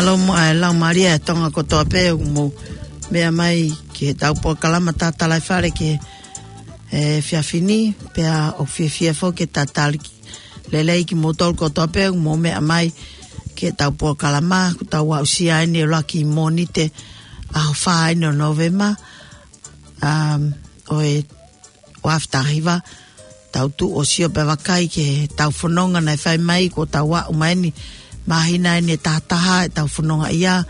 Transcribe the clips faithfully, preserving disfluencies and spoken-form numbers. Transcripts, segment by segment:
Lau mo-, ʻa e laumālie ʻa Tonga kotoa pē ʻoku mou meʻa mai ki heʻetau polokalama Tatalaifale ki he efiafi ni, pea ʻoku fiefia foki ke tatali ki, lelei kimoutolu kotoa pē ʻoku mou meʻa mai ki heʻetau polokalama, ʻoku tau aʻusia eni ʻuluaki Mōnite ʻaho fā eni ʻo Nōvema, um, ʻo e ua afe taha hiva, tau tuʻu ʻo sio pea vakai ki heʻetau fononga naʻe fai mai, kuo tau aʻu mai eni, māhina eni ʻe taha taha ʻetau fononga ia,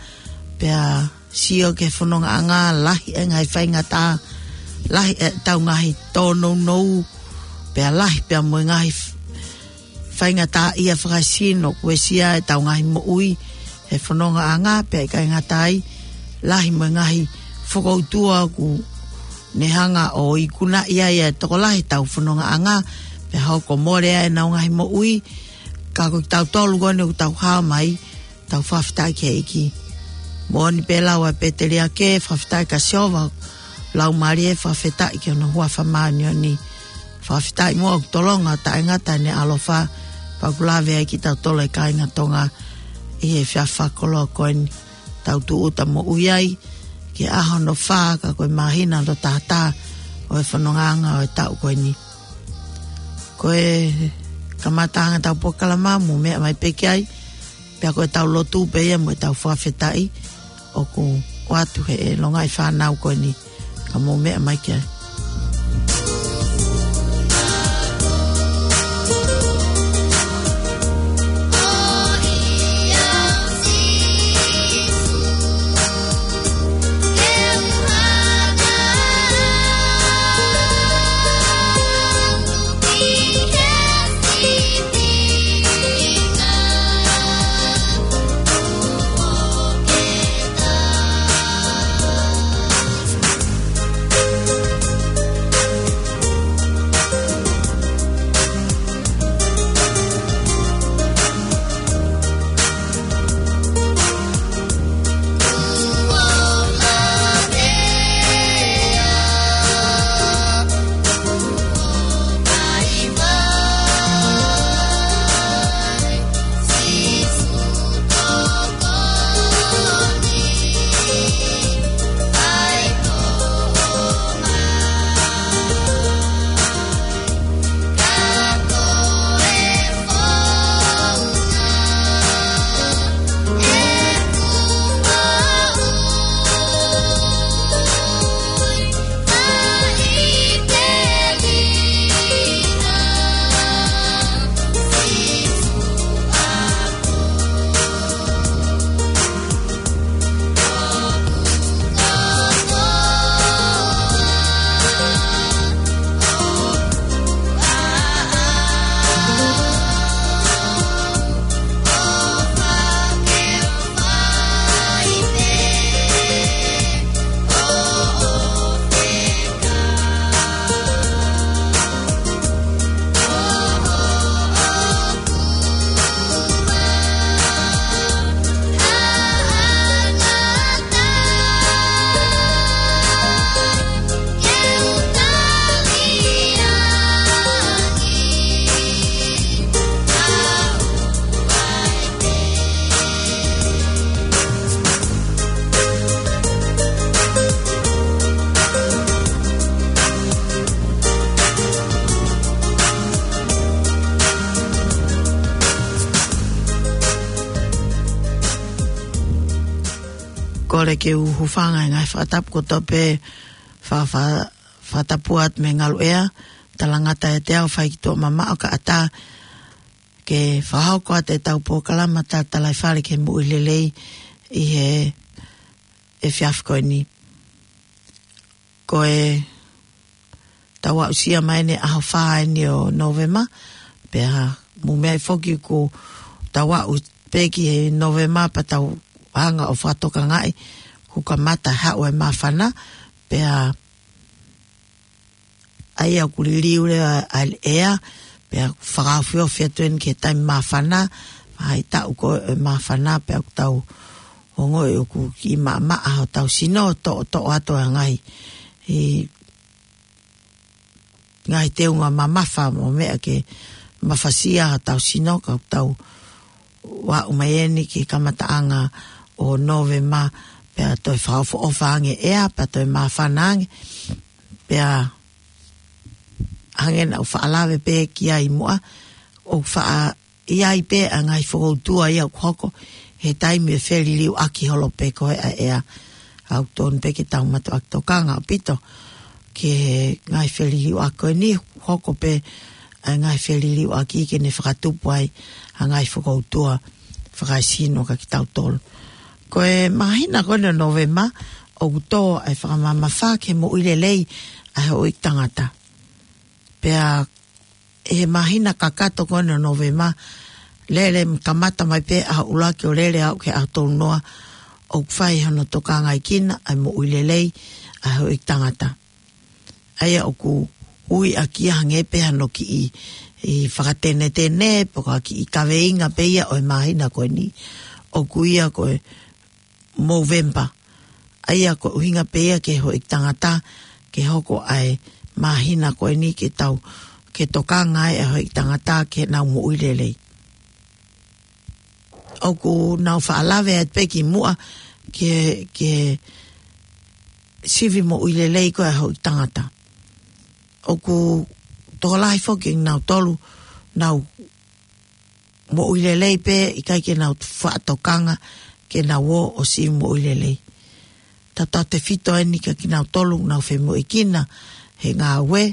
pea sio ki he fonongaʻanga, lahi e ngaahi faingataʻa, lahi ʻetau ngaahi tōnounou, pea lahi pea mo e ngaahi f-, faingataʻaʻia fakasino kuo uesia ʻetau ngaahi moʻui he fonongaʻanga, pea ʻikai ngata ai, lahi mo e ngaahi fokoutua ʻoku ne hanga ʻo ikunaʻi ai ʻa e tokolahi ʻetau fonongaʻanga, pea hoko mole ai ʻenau ngaahi moʻui, ka ko kitautolu ko eni ʻoku tau hao mai, tau fakafetaʻi ki he ʻEiki. Moʻoni pē lau ʻa e pēteliake, fakafetaʻi kia Sihova, laumālie fakafetaʻi ki hono huafa māʻoniʻoni. Fakafetaʻi muʻa ʻoku tolonga taʻengata ʻene ʻaloʻofa, pea ʻoku lave ai kitautolu ʻa e kāinga Tonga ʻi he efiafi fakakoloa ko eni. Tau tūʻuta moʻui ai ki he ʻaho hono fā, ka ko e māhina hono taha taha ʻo e fonongaʻanga ʻo e taʻu ko eni. Ko e kamataʻanga ʻetau polokalama, mou meʻa mai pē ki ai, pea ko ʻetau lotu pē ia mo ʻetau fakafetaʻi ʻoku ʻoatu ʻe he longaʻi fānau ko eni, ka mou meʻa mai ki ai. Kole ke u hūfanga he ngaahi fakatapu kotoa pē, fa-, fa-, fakatapu atu mei he ngaluʻea, talangata ʻiate au, fai ki tuʻa mamaʻo ka ʻatā, ke fakahoko atu ʻetau polokalama Tatalaifale ki he moʻui lelei ʻi he efiafi ko eni. Ko ʻetau aʻusia mai eni ʻaho fā eni ʻo Nōvema, pea mou meaʻi foki ʻoku tau aʻu pē ki he Nōvema pea tau hanga ʻo fakatokangaʻi kuo kamata haʻu e māfana, pea ʻa ia ʻoku liliu leva ʻa e ʻea, pea fakaofiofi atu eni ki he taimi māfana, ʻa e taʻu ko e māfana, pea ʻoku tau ongoʻi ʻoku kiʻi maʻamaʻa hotau sino, toʻotoʻo atu ʻa e ngaahi, ʻi, ngaahi teunga mamafa mo e meʻa ke mafasia hotau sino, ka ʻoku tau aʻu mai eni ki he kamataʻanga ʻo Nōvema, pea toe fakaʻofoʻofa ange ʻea, pea toe māfana ange, pea hangē naʻa ku faʻa lave pē ki ai muʻa, ʻoku faʻa ʻi ai pē ʻa e ngaahi fokoutua ia ʻoku hoko, he taimi ʻe feliliuaki holo pē ko ē ʻa e ʻea, ʻoku totonu pē ke tau mātuʻaki tokanga ʻaupito ki he ngaahi feliliuaki ko eni, hoko pē ʻa e ngaahi feliliuaki ke ne fakatupu ai ʻa e ngaahi fokoutua fakaesino kiate kitautolu. Ko e māhina ko eni ʻo Nōvema, ʻoku tō ʻa e fakamamafa ki he moʻui lelei ʻa e houʻeiki tangata. Pea ʻi he māhina kakato ko eni ʻo Nōvema, lele, kamata mai pē ʻaho ʻuluaki ʻo lele ʻo aʻu ki he ʻaho tolu noa, ʻoku fai hono tokangaʻi kinaua ʻa e moʻui lelei ʻa e houʻeiki tangata. ʻA ia ʻoku ui ʻaki ia hangē pē hano kiʻi, ʻi fakatenetene, pe ko ha kiʻi kaveinga pē ia ʻo e māhina ko eni, ʻoku ui ia ko e Movember. ʻA ia ko e ʻuhinga pē ia ki he houʻeiki tangata, ke hoko ʻa e māhina ko eni ke tau, ke tokanga ai ʻa e houʻeiki tangata ke nau moʻui lelei. ʻOku nau faʻa lave atu pē kimuʻa ki he, ki he sivi moʻui lelei ko ē ʻa e houʻeiki tangata. ʻOku tokolahi foki kinautolu, nau moʻui lelei pē, ʻikai ke nau faʻa tokanga ke nau ō ʻo sivi moʻui lelei. Tautautefito eni kiate kinautolu ʻoku nau femoʻuekina he ngāue,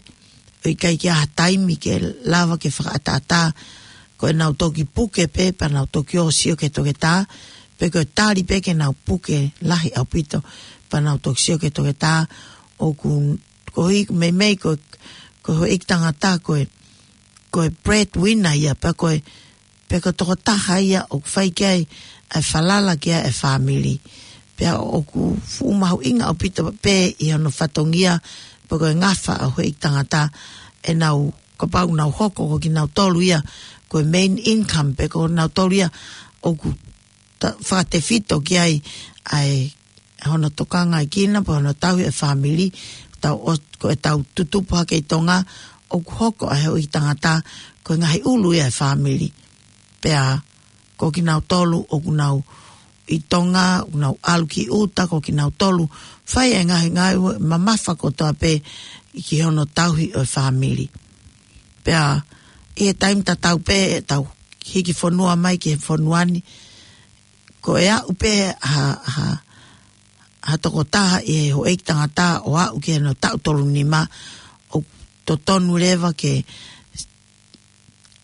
ʻo ʻikai ke ʻi ai ha taimi ke lava ke fakaʻataʻatā, ko ʻenau toki puke pē, pea nau toki ō ʻo sio ki he toketā, pe ko e tali pē ke nau puke lahi ʻaupito, pea nau toki sio ki he toketā, ʻoku, koeʻuhi meimei ko, ko e houʻeiki tangata ko e, ko e breadwinner ia, pea ko e, pea ko e tokotaha ia ʻoku fai ki ai ʻa e falala ki ai ʻa e fāmili. Pea ʻoku fuʻu mahuʻinga ʻaupito pē ʻi hono fatongia, pe ko e ngafa ʻa e houʻeiki tangata, ʻenau, kapau nau hoko ko kinautolu ia ko e main income, pe ko kinautolu ia ʻoku ta-, fakatefito ki ai ʻa e hono tokangaʻi kinaua, pe hono tauhi ʻa e fāmili, tau ʻo, ko ʻetau tutupu hake ʻi Tonga, ʻoku hoko ʻa e houʻeiki tangata ko e ngaahi ʻulu ia ʻa e fāmili. Pea ko kinautolu ʻoku nau ʻi Tonga, ʻoku nau ʻalu ki ʻuta, ko kinautolu fai e ngaahi, ngaahi mamafa kotoa pē ki hono tauhi ʻo e fāmili. Pea ʻi he taimi tatau pē, tau hiki fonua mai ki he fonua ni, ko e aʻu pē ha, ha, ha tokotaha ʻi he houʻeiki tangata ʻo aʻu ki hono taʻu tolu nima, ʻoku totonu leva ke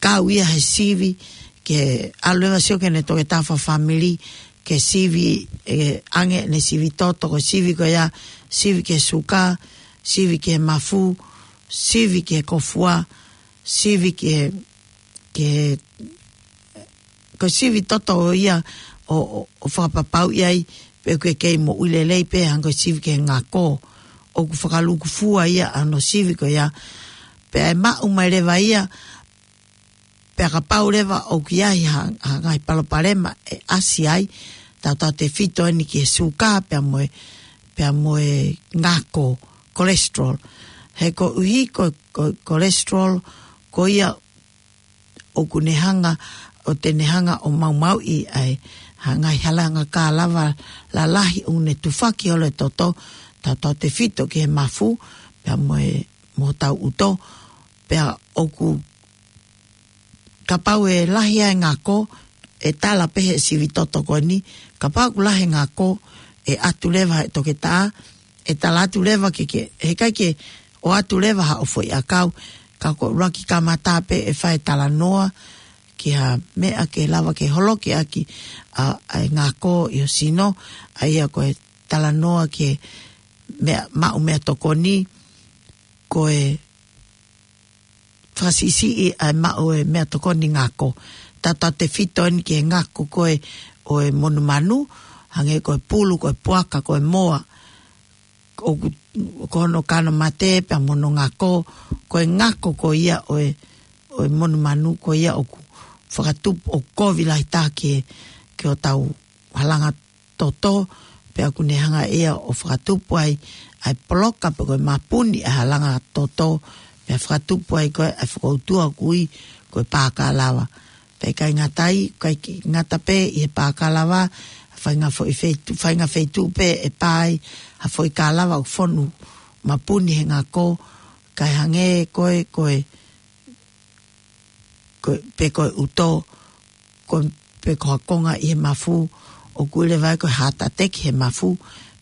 kau ia he sivi, ke ʻalu leva ʻo sio ki heʻene toketā fakafāmili, ke sivi, ʻe, ange ʻene sivi toto, ko e sivi ko ia, sivi ki he suka, sivi ki he mafu, sivi ki he kōfua, sivi ki he, ki he, ko e sivi toto ia ʻo, ʻo, ʻo fakapapauʻi ai pe ʻoku kei moʻui lelei pē, hangē ko e sivi ki he ngako, ʻoku fakalūkufua ia ʻa hono sivi ko ia. Pea ʻe maʻu mai leva ia, pea kapau leva ʻoku ʻi ai ha, ha ngaahi palopalema ʻe ʻasi ai, tautautefito eni ki he suka pea mo e, pea mo e ngako, cholesterol. He koeʻuhi ko, ko, cholesterol, ko ia ʻoku ne hanga, ʻo te ne hanga ʻo maumauʻi ʻa e, ha ngaahi halanga kālava lalahi ʻoku ne tufaki holo e toto, tautautefito ki he mafu, pea mo e, mo hotau ʻuto, pea ʻoku, kapau ʻe lahi ʻa e ngako, ʻe tala pē he sivi toto ko eni, kapau ʻoku lahi e ngako, ʻe ʻatu leva he toketā, ʻe tala atu leva ke, ke, heʻikai ke ʻoatu leva haʻo foʻi ʻakau, ka ko e ʻuluaki kamata pē ʻe fai e talanoa ki ha meʻa ke lava ke holoki ʻaki ʻa, ʻa e ngako ʻi ho sino, ʻa ia ko e talanoa ki he meʻa, maʻu meʻatokoni, ko e fakasiʻisiʻi ʻa e maʻu e meʻatokoni ngako. Tautautefito eni ki he ngako ko ē ʻo e monumanu, hangē ko e pulu, ko e puaka, ko e moa, ʻoku, ko hono kano mate pea mo hono ngako, ko e ngako ko ia ʻo e, ʻo e monumanu ko ia ʻoku fakatupu, ʻoku kovi lahi taha ki he, ki hotau halanga toto, pea ʻoku ne hanga ia ʻo fakatupu ai ʻa e poloka pe ko e mapuni ʻa e halanga toto, pea fakatupu ai ko ē ʻa e fokoutua ʻoku ui ko e pākalava. Pea ʻikai ngata ai, ʻikai ke ngata pē ʻi he pākalava, faʻahinga foʻi feitu-, faʻahinga feituʻu pē ʻe pā ai ha foʻi kālava ʻoku fonu mapuni he ngako, kae hangē ko e, ko e, ko e, pe ko e ʻuto, ko e, pe ko ha konga ʻi he mafu, ʻoku ui leva ia ko e heart attack he mafu,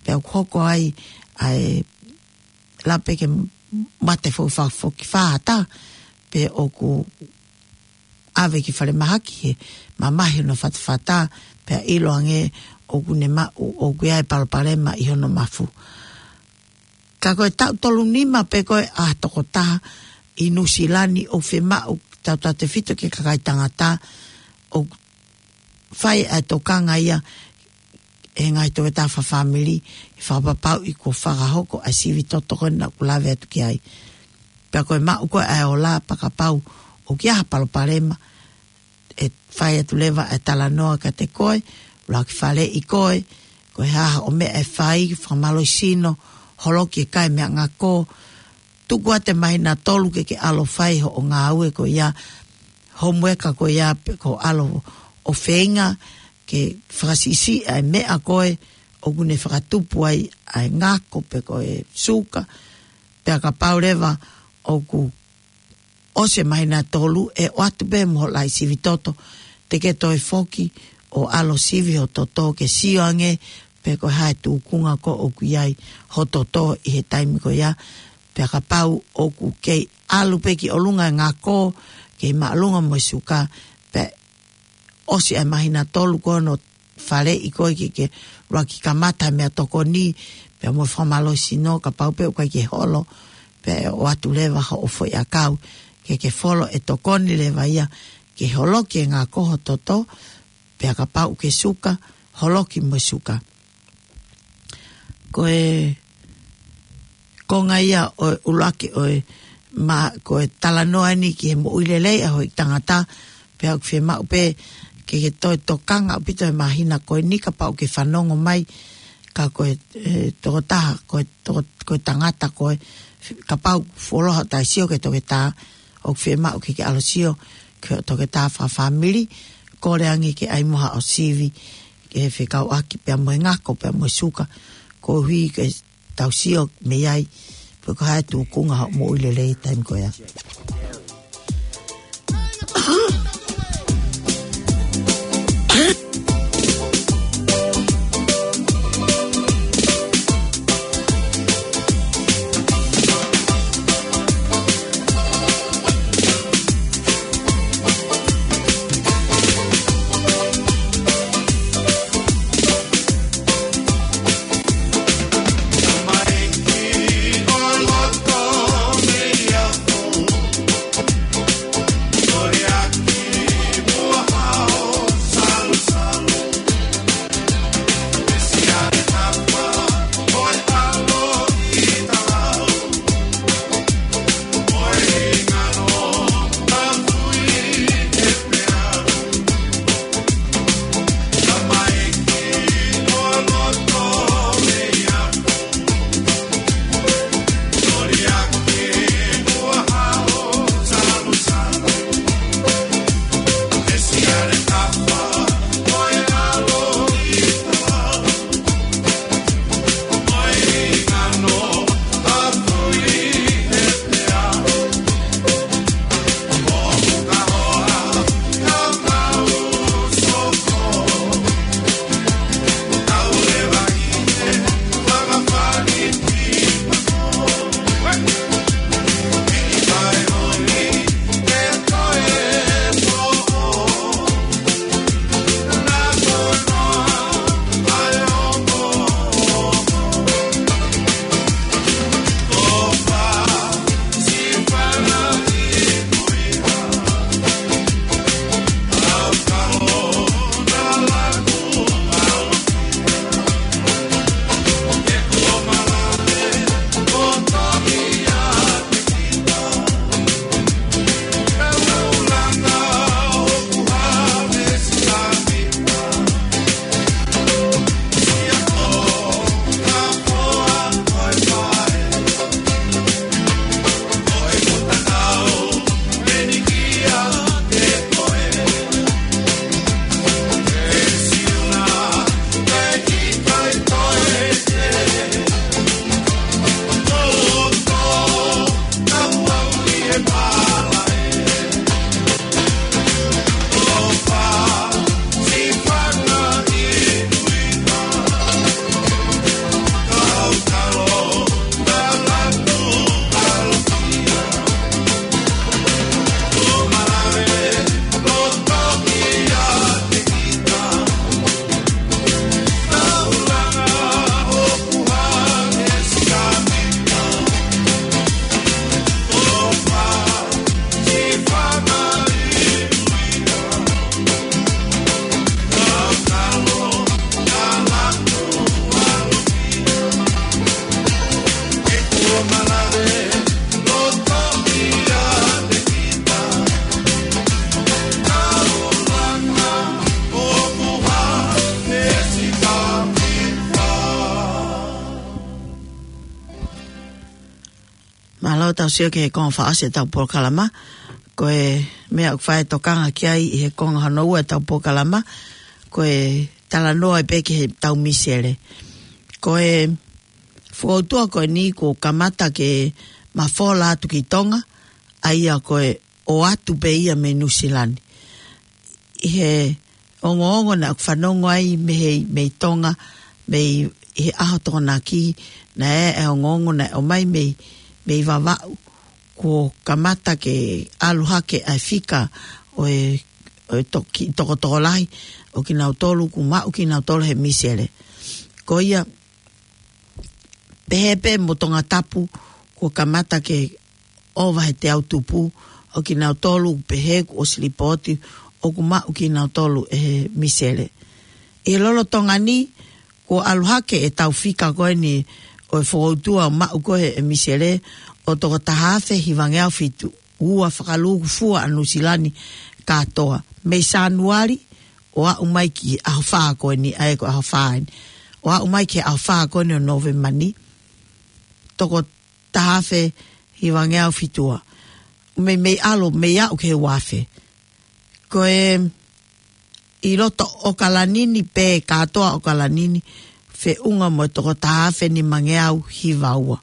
pea ʻoku hoko ai ʻa e lape ke mate fo-, fa-, foki fātā, pe ʻoku ʻave ki falemahaki he mamahi hono fatafata, pea ʻilo ange ʻoku ne maʻu, ʻoku ʻi ai e palopalema ʻi hono mafu. Ka ko e taʻu tolu nima pē ko ē ʻa e tokotaha ʻi Nuʻusila ni ʻoku fiemaʻu tautautefito ki he kakai tangata ʻoku fai ʻa e tokanga ia ʻe he ngaahi toketā fakafāmili, ʻi he fakapapauʻi kuo fakahoko ʻa e sivi toto ko ena ʻoku lave atu ki ai. Pea ko e maʻu ko ē ʻa e ola pea kapau ʻoku ʻi ai ha palopalema, ʻe fai atu leva ʻa e talanoa kiate koe, ʻuluaki faleʻi koe, ko e hā haʻo meʻa ʻe fai, fakamālohisino, holoki e kai meʻangako, tuku atu e māhina ʻe tolu ke ke ʻalu ʻo fai hoʻo ngāue ko ia, homework ko ia pe ko e ʻalu ʻo feinga ke fakasiʻisiʻi ʻa e meʻa ko ē ʻoku ne fakatupu ai ʻa e ngako pe ko e suka, pea kapau leva ʻoku ʻosi e māhina ʻe tolu, ʻe ʻoatu pē mo hoʻo laʻi sivi toto, te ke toe foki ʻo ʻalu ʻo sivi ho toto ke sio ange pe ko e hā e tūkunga ko ē ʻoku ʻi ai ho toto ʻi he taimi ko ia, pea kapau ʻoku kei ʻalu pē ki ʻolunga e ngako, kei māʻolunga mo e suka, pea ʻosi ʻa e māhina ʻe tolu ko hono faleʻi koe ke ke ʻuluaki kamata meʻatokoni, pea mo e fakamālohisino kapau pē ʻoku ʻikai ke holo, pea ʻe ʻoatu leva hoʻo foʻi ʻakau, ke ke folo ʻe tokoni leva ia ke holoki e ngako ho toto, pea kapau ʻoku ke suka, holoki mo e suka. Ko e konga ia ʻo e ʻuluaki ʻo e ma-, ko e talanoa ni ki he moʻui lelei ʻa e houʻeiki tangata, pea ʻoku fiemaʻu pē ke ke toe tokanga ʻaupito he māhina ko eni kapau ʻoku ke fanongo mai, ka ko e, e, tokotaha, ko e, toko-, ko e tangata ko ē, kapau fuoloa hoʻo taʻe sio ki he toketā, ʻoku fiemaʻu ke ke ʻalu ʻo sio ki he toketā fakafāmili, kole ange ke ʻai mo haʻo sivi, ke fekauʻaki pea mo e ngako, pea mo e suka, koeʻuhi ke tau sio mei ai pe ko e hā e tūkunga hoʻo moʻui lelei taimi ko ia. Tau sio ki he konga fakaʻosi ʻetau polokalama. Ko e meʻa ʻoku fai e tokanga ki ai ʻi he konga hono ua ʻetau polokalama, ko e talanoa pē ki heʻetau misele. Ko e fokoutua ko eni kuo kamata ke mafola atu ki Tonga, ʻa ia ko e ʻoatu pē ia mei Nuʻusila ni. ʻI he ongoongo naʻa ku fanongo ai mei he, mei Tonga, mei he ʻaho Tokonaki, naʻe ʻi ai e ongoongo naʻe ʻomai mei, mei Vavaʻu, kuo kamata ke ʻalu hake ʻa e fika ʻo e, ʻo e toki, tokotokolahi ʻo kinautolu kuo maʻu kinautolu he misele. Ko ia, pehē pē mo Tongatapu, kuo kamata ke ʻova he teau tupu ʻo kinautolu, pehē kuo ʻosi lipooti ʻoku maʻu kinautolu ʻe he misele. ʻI he lolotonga ni, kuo ʻalu hake ʻetau fika ko eni ʻo e fokoutua ʻo maʻu ko ē ʻe he misele ʻo toko taha afe hivangeau fitu ua fakalūkufua ʻa Nuʻusila ni kātoa. Mei Sānuali ʻo aʻu mai ki he ʻaho fā ko eni, ʻa ia ko e ʻaho fā eni. ʻO aʻu mai ki he ʻaho fā ko eni ʻo Nōvema ni, toko taha afe hivangeau fitu ua. Mei, mei ʻalu, mei aʻu ki he ua afe. Ko e ʻi loto ʻAokalani ni pē, kātoa ʻAokalani ni, feʻunga mo e toko taha afe nimangeau hiva ua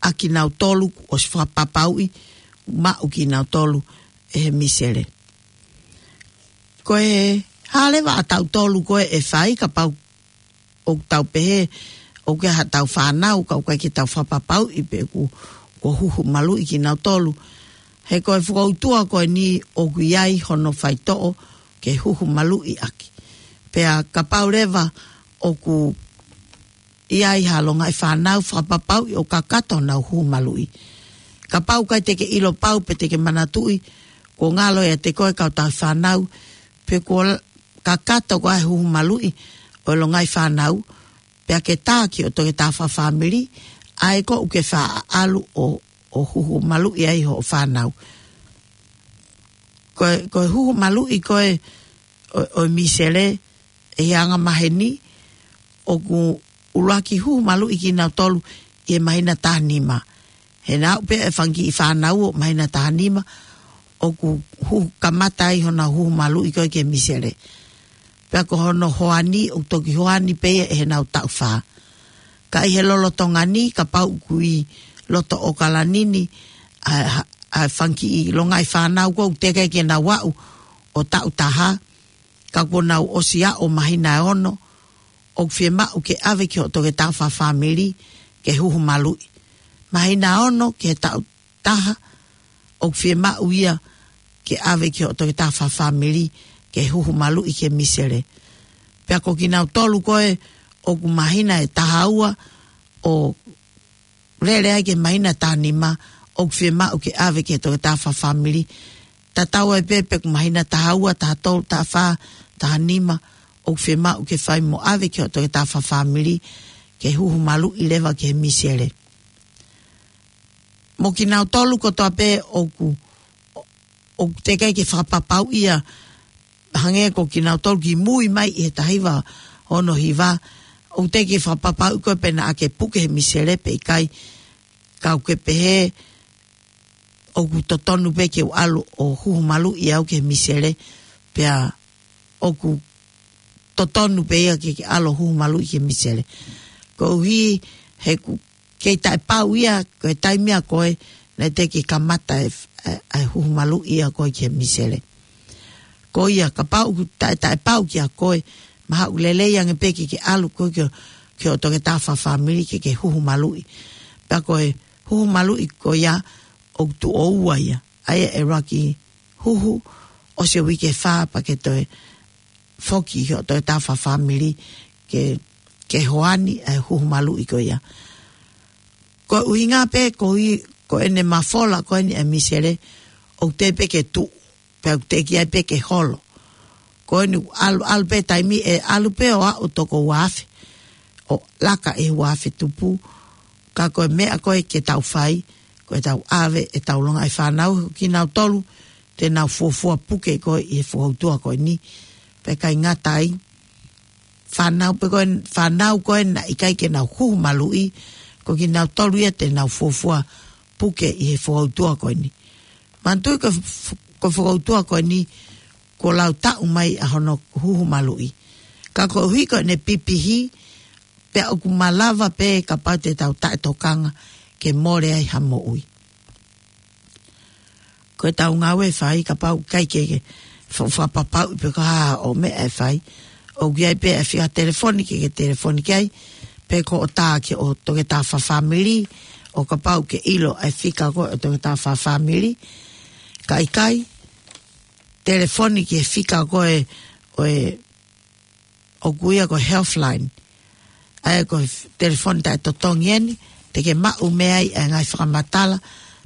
ʻa kinautolu kuo ʻosi fakapapauʻi maʻu kinautolu ʻe he misele. Ko e hā leva ʻa tautolu ko ē ʻe fai, kapau ʻoku tau pehē ʻoku ʻi ai haʻatau fānau, ka ʻoku ʻikai ke tau fakapapauʻi pe kuo, kuo huhu maluʻi kinautolu. He ko e fokoutua ko eni ʻoku ʻi ai hono faitoʻo ke huhu maluʻi ʻaki. Pea kapau leva ʻoku ʻi ai ha longaʻi fānau, fakapapauʻi ʻoku kakato honau huhu maluʻi. Kapau ʻoku ʻikai te ke ʻilo pau pe te ke manatuʻi, kuo ngalo ʻiate koe kau tauhi fānau, pe kuo l-, kakato koā e huhu maluʻi ʻo e longaʻi fānau, pea ke tā ki hoʻo toketā fakafāmili, ʻa ia ko ē ʻoku ke faʻa ʻalu ʻo, ʻo huhu maluʻi ai hoʻo fānau. Ko e, ko e huhu maluʻi ko ē ʻo, ʻo e misele, ʻi he anga maheni, ʻoku ʻuluaki huhu maluʻi kinautolu ʻi he māhina taha nima. He naʻa ʻoku pehē e fanga kiʻi fānau ʻo māhina taha nima, ʻoku huhu, kamata ai honau huhu maluʻi ko ē ki he misele. Pea ko hono hoani, ʻoku toki hoani pē ia ʻi heʻenau taʻu fā. Ka ʻi he lolotonga ni, kapau ʻoku ʻi loto ʻAokalani ni ʻa, ʻa, ʻa e fanga kiʻi longaʻi fānau ko ē ʻoku teʻeki ai ke nau aʻu ʻo taʻu taha, ka kuo nau ʻosi aʻu ʻo māhina ʻe ono, ʻoku fiemaʻu ke ʻave ki hoʻo toketā fakafāmili ke huhu maluʻi. Māhina ono ki he taʻu taha, ʻoku fiemaʻu ia ke ʻave ki hoʻo toketā fakafāmili ke huhu maluʻi ki he misele. Pea ko kinautolu ko ē ʻoku māhina ʻe taha ua ʻo lele ai ki he māhina taha nima, ʻoku fiemaʻu ke ʻave ki he toketā fakafāmili. Tatau ai pē pe ʻoku māhina taha ua, taha tolu, taha fā, taha nima, ʻoku fiemaʻu ke fai mo ʻave ki hoʻo toketā fakafāmili ke huhu maluʻi leva ki he misele. Mo kinautolu kotoa pē ʻoku, ʻoku teʻeki ai ke fakapapauʻi ia, hangē ko kinautolu kimui mai ʻi he taha hiva ono hiva, ʻoku teʻeki ke fakapapauʻi ko ē pe naʻa ke puke he misele pe ʻikai, ka ʻoku ke pehē ʻoku totonu pē ke u ʻalu ʻo huhu maluʻi au ki he misele, pea ʻoku totonu pē ia ke, ke ʻalu ʻo huhu maluʻi ki he misele. Koeʻuhi he ʻoku kei taʻepau ia, ko e taimi ia ko ē naʻe teʻeki kamata e, e, e huhu maluʻi ia ko ē ki he misele. Ko ia, kapau ʻoku taʻe, taʻepau kia koe, mahalo ʻoku lelei ange pē ke ke ʻalu koe ki ho, ki hoʻo toketā fakafāmili ke ke huhu maluʻi. Pea ko e huhu maluʻi ko ia ʻoku tuʻo ua ia. ʻA ia ʻe ʻuluaki huhu, ʻosi e uike ʻe fā pea ke toe foki ki hoʻo toketā fakafāmili ke, ke hoani ʻa e huhu maluʻi ko ia. Ko e ʻuhinga pē koeʻuhi ko ʻene mafola ko eni ʻa e misele, ʻoku teʻeki pē ke tuʻu, pea ʻoku teʻeki ai pē ke holo. Ko eni ʻalu, ʻalu pē taimi ʻe ʻalu pē ʻo aʻu toko ua afe, ʻo laka ʻi he ua afe tupu, ka ko e meʻa ko ē ke tau fai, ko ʻetau ʻave ʻetau longaʻi fānau, kinautolu te nau fuofua puke ko ē ʻi he fokoutua ko eni, pea ʻikai ngata ai, fānau pē ko ē, fānau ko ē naʻe ʻikai ke nau huhu maluʻi, ko kinautolu ia te nau fuofua puke ʻi he fokoutua ko eni. Manatuʻi ko, ko e fokoutua ko eni, kuo lau taʻu mai ʻa hono huhu maluʻi. Ka koeʻuhi ko ʻene pipihi, pea ʻoku malava pē kapau te tau taʻetokanga ke mole ai ha moʻui. Ko e tau ngāue ʻe fai kapau ʻikai ke, ke fa-, fakapapauʻi pe ko e hā ʻo e meʻa ʻe fai. ʻOku ʻi ai pē ʻa e fika telefoni ke, ke telefoni ki ai, pe ko hoʻo tā ki hoʻo toketā fakafāmili, ʻo kapau ʻoku ke ʻilo ʻa e fika ko ē ʻo e toketā fakafāmili. Ka ʻikai, telefoni ki he fika ko ē ʻo e ʻoku ui ia ko e Healthline. ʻA ia ko e f-, telefoni taʻetotongi eni, te ke maʻu mei ai ʻa e ngaahi fakamatala,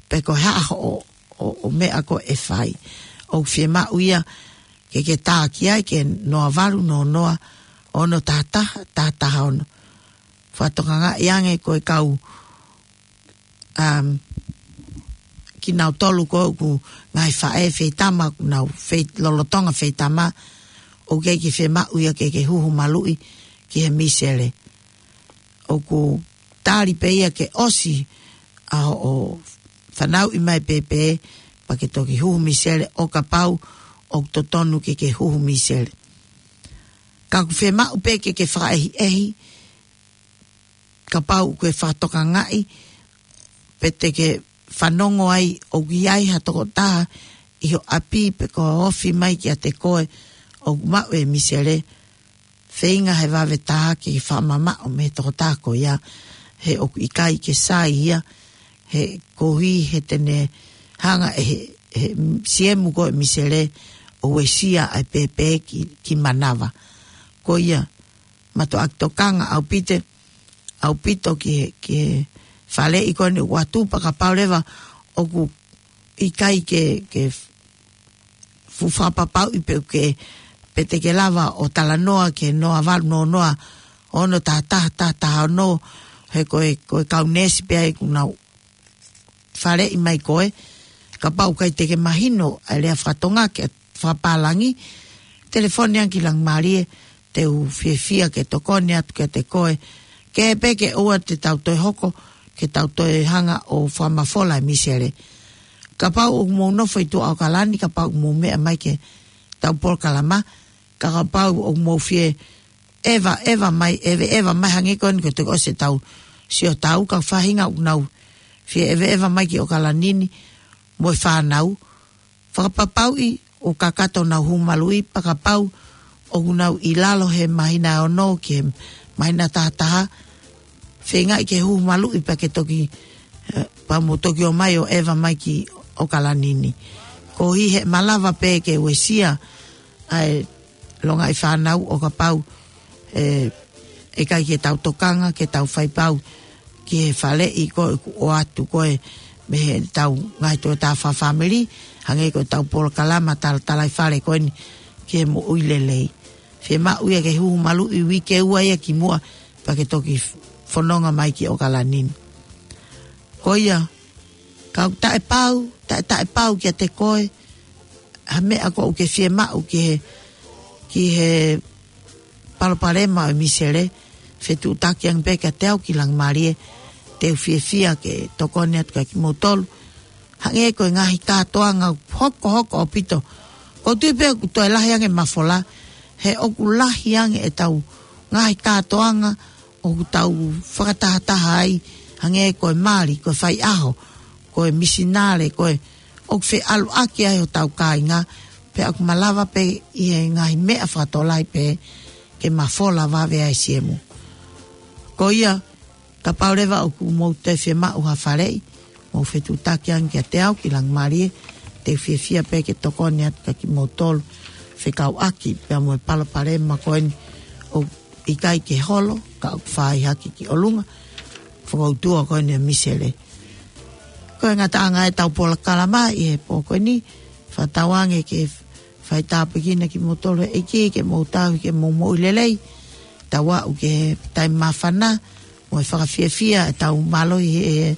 pe ko e hā hoʻo, ʻo, ʻo meʻa ko ē ʻe fai. ʻOku fiemaʻu ia ke ke tā ki ai ki he noa valu noa noa, ono taha taha, taha taha ono. Fakatokangaʻi ange ko e kau um, kinautolu ko ē ʻoku ngaahi faʻē feitama, ʻoku nau fei-, lolotonga feitama, ʻoku ʻikai ke fiemaʻu ia ke, ke huhu maluʻi ki he misele. ʻOku tali pē ia ke ʻosi ʻa hoʻo fanauʻi mai pēpē, pea ke toki huhu misele ʻo kapau ʻoku totonu ke, ke huhu misele. Ka ʻoku fiemaʻu pē ke, ke fakaʻehiʻehi, kapau ʻoku ke fakatokangaʻi, pe te ke fanongo ai ʻoku ʻi ai ha tokotaha ʻi ho ʻapi pe ko e ofi mai kiate koe ʻoku maʻu e misele, feinga he vave taha ke fakamamaʻo mei he tokotaha ko ia, he ʻoku ʻikai ke sai ia, he koeʻuhi he te ne hanga ʻe he, he siemu ko ē misele ʻo uesia ʻa e pēpē ki, ki manava. Ko ia, mātuʻaki tokanga ʻaupito, ʻaupito ki he, ki he faleʻi ko eni ʻoku ʻoatu pea kapau leva ʻoku ʻikai ke, ke fuʻu fakapapauʻi pe ʻoku ke, pe te ke lava ʻo talanoa ki he noa valu noa noa ono taha taha taha taha ono, he ko e, ko e kau neesi pē ʻoku nau faleʻi mai koe, kapau ʻoku ʻikai te ke mahino ʻa e lea faka-Tonga ke fakapālangi, telefoni ange ki Langimalie, te u fiefia ke tokoni atu kiate koe, ke pē ke ʻoua te tau toe hoko, ke tau toe hanga ʻo fakamafola e misele. Kapau ʻoku mou nofo ʻi tuʻa ʻAokalani, kapau ʻoku mou meʻa mai ki heʻetau polokalama, ka kapau ʻoku mou fie ʻeva, ʻeva mai, ʻeve, ʻeva mai hangē ko eni ko e toki ʻosi ʻetau sio tau, ka faʻahinga ʻoku nau fie ʻeve, ʻeva mai ki ʻAokalani ni, mo e fānau, fakapapauʻi ʻoku kakato ʻenau huhu maluʻi pea kapau ʻoku nau ʻi lalo he māhina ʻe ono ki he māhina taha taha, feingaʻi ke huhu maluʻi pea ke toki, eh, pea mo toki ō mai ʻo ʻeva mai ki ʻAokalani ni. Koeʻuhi he malava pē ke uesia ʻa e longaʻi fānau ʻo kapau, eh, ʻikai ke tau tokanga, ke tau faipau ki he faleʻi ko ē ʻoku ʻoatu ko ē mei heʻetau ngaahi toketā fakafāmili, hangē ko ʻetau polokalama talatalaifale ko eni ki he moʻui lelei. Fiemaʻu ia ke huhu maluʻi uike ua ia kimuʻa pea ke toki fononga mai ki ʻAokalani ni. Ko ia, ka ʻoku taʻepau, taʻe, taʻepau kiate koe ha meʻa ko ē ʻoku ke fiemaʻu ki he, ki he palopalema ʻo e misele, fetuʻutaki ange pē kiate au ki Langimalie, te u fiefia ke tokoni atu kiate kimoutolu. Hangē ko e ngaahi kātoanga hokohoko ʻaupito. ʻOku ou tui pē ʻoku toe lahi ange mafola, he ʻoku lahi ange ʻetau ngaahi kātoanga ʻoku tau fakatahataha ai, hangē ko e mali, ko e faiʻaho, ko e misinale, ko e ʻoku feʻaluʻaki ai hotau kāinga, pea ʻoku malava pē ʻi he ngaahi meʻa fakatokolahi pē ke mafola vave ai e siemu. Ko ia, kapau leva ʻoku mou toe fiemaʻu ha faleʻi, mou fetuʻutaki ange kiate au ki Langimalie, te u fiefia pē ke tokoni atu kiate kimoutolu fekauʻaki pea mo e palopalema ko eni ʻoku ʻikai ke holo, ka ʻoku fai hake ki ʻolunga, fokoutua ko eni e misele. Ko e ngataʻanga ʻetau polokalama ʻi he pō ko eni, fakatauange ke fai tāpuekina kimoutolu ʻe he ʻEiki, ke mou tauhi, ke mou moʻui lelei, tau aʻu ki he taimi māfana, mo e fakafiefia ʻetau mālohi ʻi he,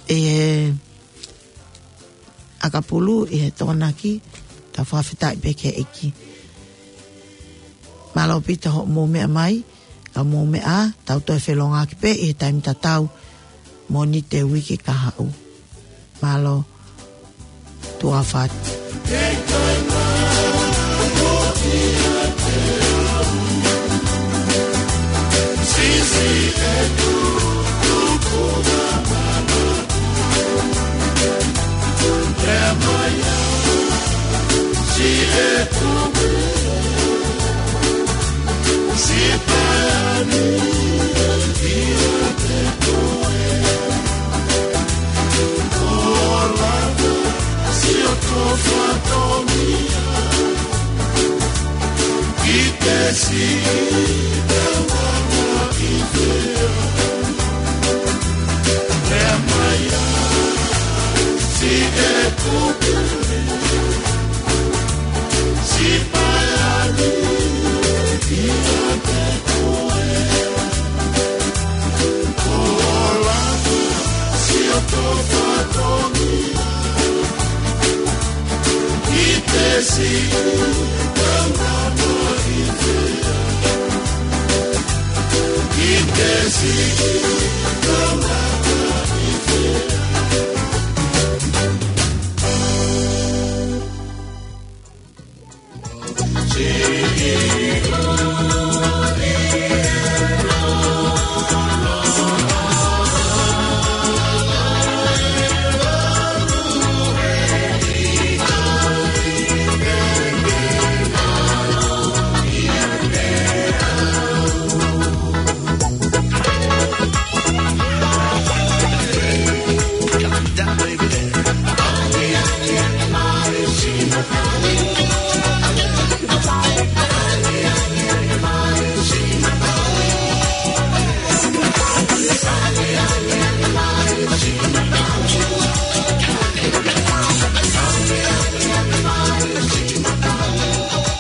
ʻi he ʻakapulu, ʻi he Tokonaki, tau fakafetaʻi pē ki he ʻEiki. Mālō ʻaupito hoʻomou meʻa mai, ka mou meʻa, tau toe felōngoaki pē ʻi he taimi tatau, Mōnite uike kahaʻu. Mālō, tuʻa ʻofa atu.